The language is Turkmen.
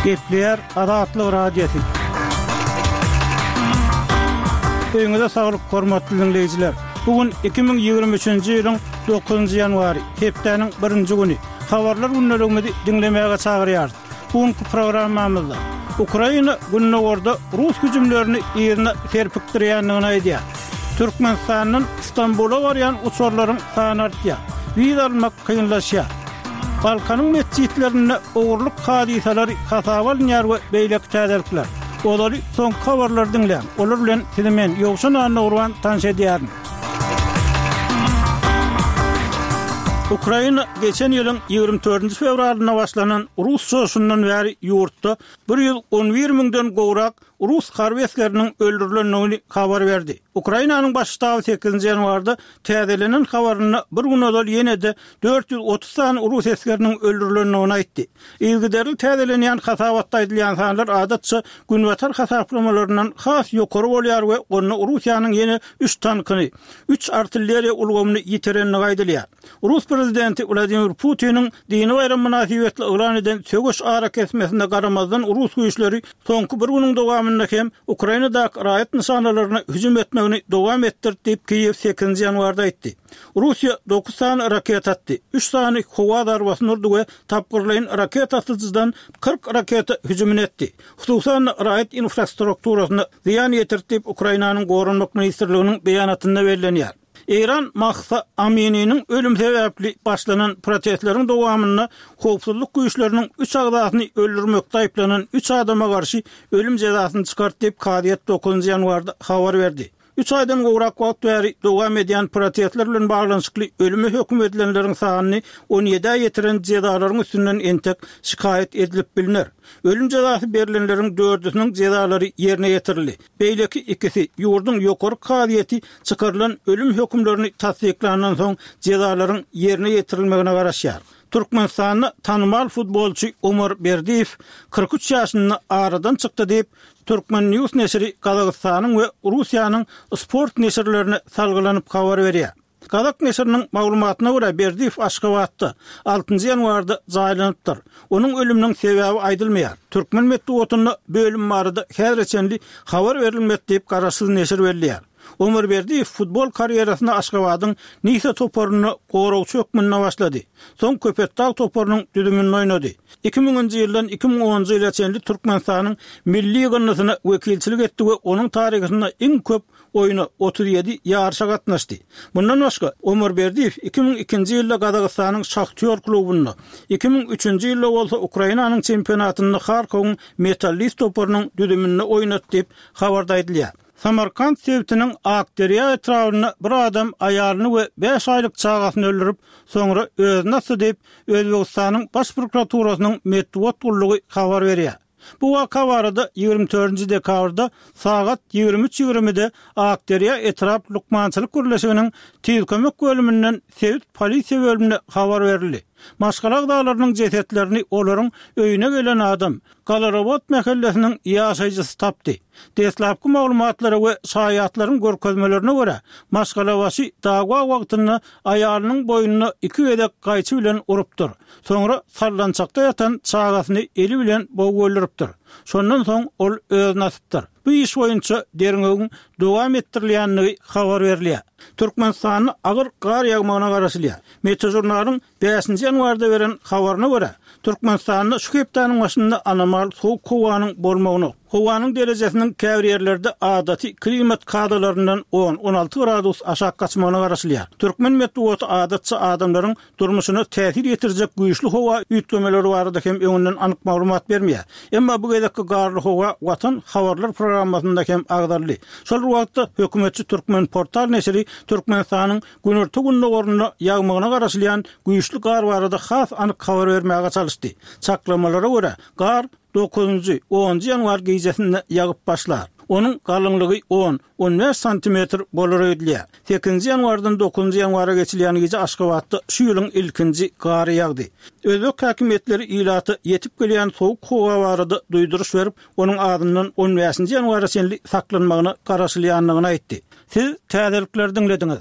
Gepleýär Azatlyk Radiosy. Öýüňize saglyk, hormatly diňleýjiler! Bu gün 2023-nji ýylyň dokuzynjy ýanwary, hepdäniň birinji güni. Habarlar gündeligimizi diňlemäge çagyrýarys. Bu günki programmamyzda Ukraina gündogarda rus hüjümlerini yzyna serpikdirýändigini aýdýar. Türkmenistandan Stambula barýan uçarlaryň sany artýar. Wiza almak kynlaşýar. Balkanyň metjitlerinde ogurlyk hadysalary hasaba alynýar we beýleki täzelikler. Ozaly soňky habarlary diňläň. Olar bilen sizi men, Ýowşan Annagurban tanyş edýärin. Ukraina geçen ýylyň 24-nji fewralynda başlanan rus çoşundan bäri ýurtda 111 müňden gowrak rus harby esgeriniň öldürilendigini habar berdi. Ukrainanyň Baş ştaby sekizinji ýanwarda täzelenen habarynda bir gün ozal ýene-de 430 sany rus esgeriniň öldürilendigini aýtdy. Yzygiderli täzelenýän hasabatda aýdylýan sanlar adatça günbatar hasaplamalaryndan has ýokary bolýar we onda Russiýanyň ýene üç tankyny, üç artilleriýa ulgamyny ýitirendigi aýdylýar. Rus prezidenti Wladimir Putiniň dini baýram mynasybetli yglan eden söweş arakesmesine garamazdan rus güýçleri soňky bir günüň dowamynda hem Ukrainadaky raýat nyşanalaryna hüjüm etmegini dowam etdirdi diýip Kiýew sekizinji ýanwarda aýtdy. Russiýa dokuz sany raketa atdy, üç sany howa zarbasyny urdy we tapgyrlaýyn raketa atyjydan 40 raketa hüjümini etdi. Hususan-da, raýat infrastrukturasyna zyýan ýetirdi diýip, Ukrainanyň Goranmak ministrliginiň beýanatynda bellenýär. Eýran Mahsa Amininiň ölümi sebäpli başlanan protestleriň dowamynda howpsuzlyk güýçleriniň üç agzasyny öldürmekde aýyplanan üç adama garşy ölüm jezasyny çykardy diýip, kazyýet dokuzynjy ýanwarda habar berdi. Üç aýdan gowrak wagt bäri dowam edýän protestler bilen baglanyşykly ölüme höküm edilenleriň sanyny on ýedä ýetiren jezalaryň üstünden entek şikaýat edilip bilner. Ölüm jezasy berlenleriň dördüsiniň jezalary ýerine ýetirildi. Beýleki ikisi ýurduň ýokary kazyýeti çykarylan ölüm hökümlerini tassyklandan soň jezalaryň ýerine ýetirilmegine garaşýar. Türkmenistanda tanymal futbolçy Omar Berdiýew 43 ýaşynda aradan çykdy diýip, Turkmen. News neşiri Gazagystanyň we Russiýanyň sport neşirlerine salgylanyp habar berýär. Gazak neşiriniň maglumatyna görä, Berdiýew Aşgabatda, altynjy ýanwarda jaýlanypdyr. Onuň ölüminiň sebäbi aýdylmaýar. Türkmen metbugatynda bu ölüm barada häzire çenli habar berilmedi diýip, garaşsyz neşir belleýär. Omar Berdiýew futbol karýerasyna Aşgabadyň Nisa toparynda goragçy hökmünde başlady. Soň Köpetdag toparynyň düzüminde oýnady. Iki müňünji ýyldan 2010-njy ýyla çenli Türkmenistanyň milli ýygyndysyna wekilçilik etdi we onuň taryhynda iň köp oýna, 37 ýaryşa gatnaşdy. Mundan başga, Omar Berdiýew 2002-nji ýylda Gazagystanyň Şahtýor klubunda, 2003-nji ýylda bolsa Ukrainanyň çempionatynda Harkowyň Metallist toparynyň düzüminde oýnady diýip, habarda aýdylýar. Samarkant sebitiniň Akderýa etrabynda bir adam aýalyny we bäş aýlyk çagasyny öldürip, soňra özüni asdy diýip, Özbegistanyň Baş prokuraturasynyň metbugat gullugy habar berýär. Bu waka barada 24-nji dekabrda sagat 23 ýigrimide Akderýa etrap lukmançylyk birleşiginiň Tiz kömek bölüminden sebit polisiýa bölümine habar berildi. Maşgala agzalarynyň jesetlerini olaryň öýüne gelen adam, Galarobot mähellesiniň ýaşaýjysy tapdy. Deslapky maglumatlara we şaýatlaryň görkezmelerine görä, maşgalabaşy dawa wagtynda aýalynyň boýnuna iki gezek gaýçy bilen urupdyr. Soňra sallançakda ýatan çagasyny eli bilen bogup öldüripdir. Şondan soň ol özüni asypdyr. Bu iş boýunça derňewiň dowam etdirilýändigi habar berilýär. Türkmenistanda agyr gar ýagmagyna garaşylýar. Meteožurnalyň Bäşinji ýanwarda beren habaryna görä, Türkmenistanda şu hepdäniň başynda anomal sowuk howanyň bolmagyna, howanyň derejesiniň käbir ýerlerde adaty klimat kadalaryndan on, 16 gradus aşak gaçmagyna garaşylýar. Türkmen metbugaty adatça adamlaryň durmuşyna täsir ýetirjek güýçli howa üýtgemeleri barada hem öňünden anyk maglumat bermeýär. Emma bu gezekki garly howa Watan habarlar programmasynda hem agzaldy. Şol bir wagtda, hökümetçi Türkmenportal neşiri Türkmenistanyň Günorta-gündogarynda ýagmagyna garaşylýan güýçli gar barada has anyk habar bermäge çalyşdy. Çaklamalara görä, gar dokuzynjy, onunjy ýanwar gijesinde ýagyp başlar. Onuň galyňlygy on, on bäş santimetr bolar öýdülýär. Sekizinji ýanwardan dokuzynjy ýanwara geçilýän gije Aşgabatda şu ýylyň ilkinji gary ýagdy. Özbek häkimiýetleri ilata ýetip gelýän sowuk howa barada duýduryş berip, onuň azyndan on bäşinji ýanwara çenli saklanmagyna garaşylýandygyny aýtdy. Siz täzelikleri diňlediňiz.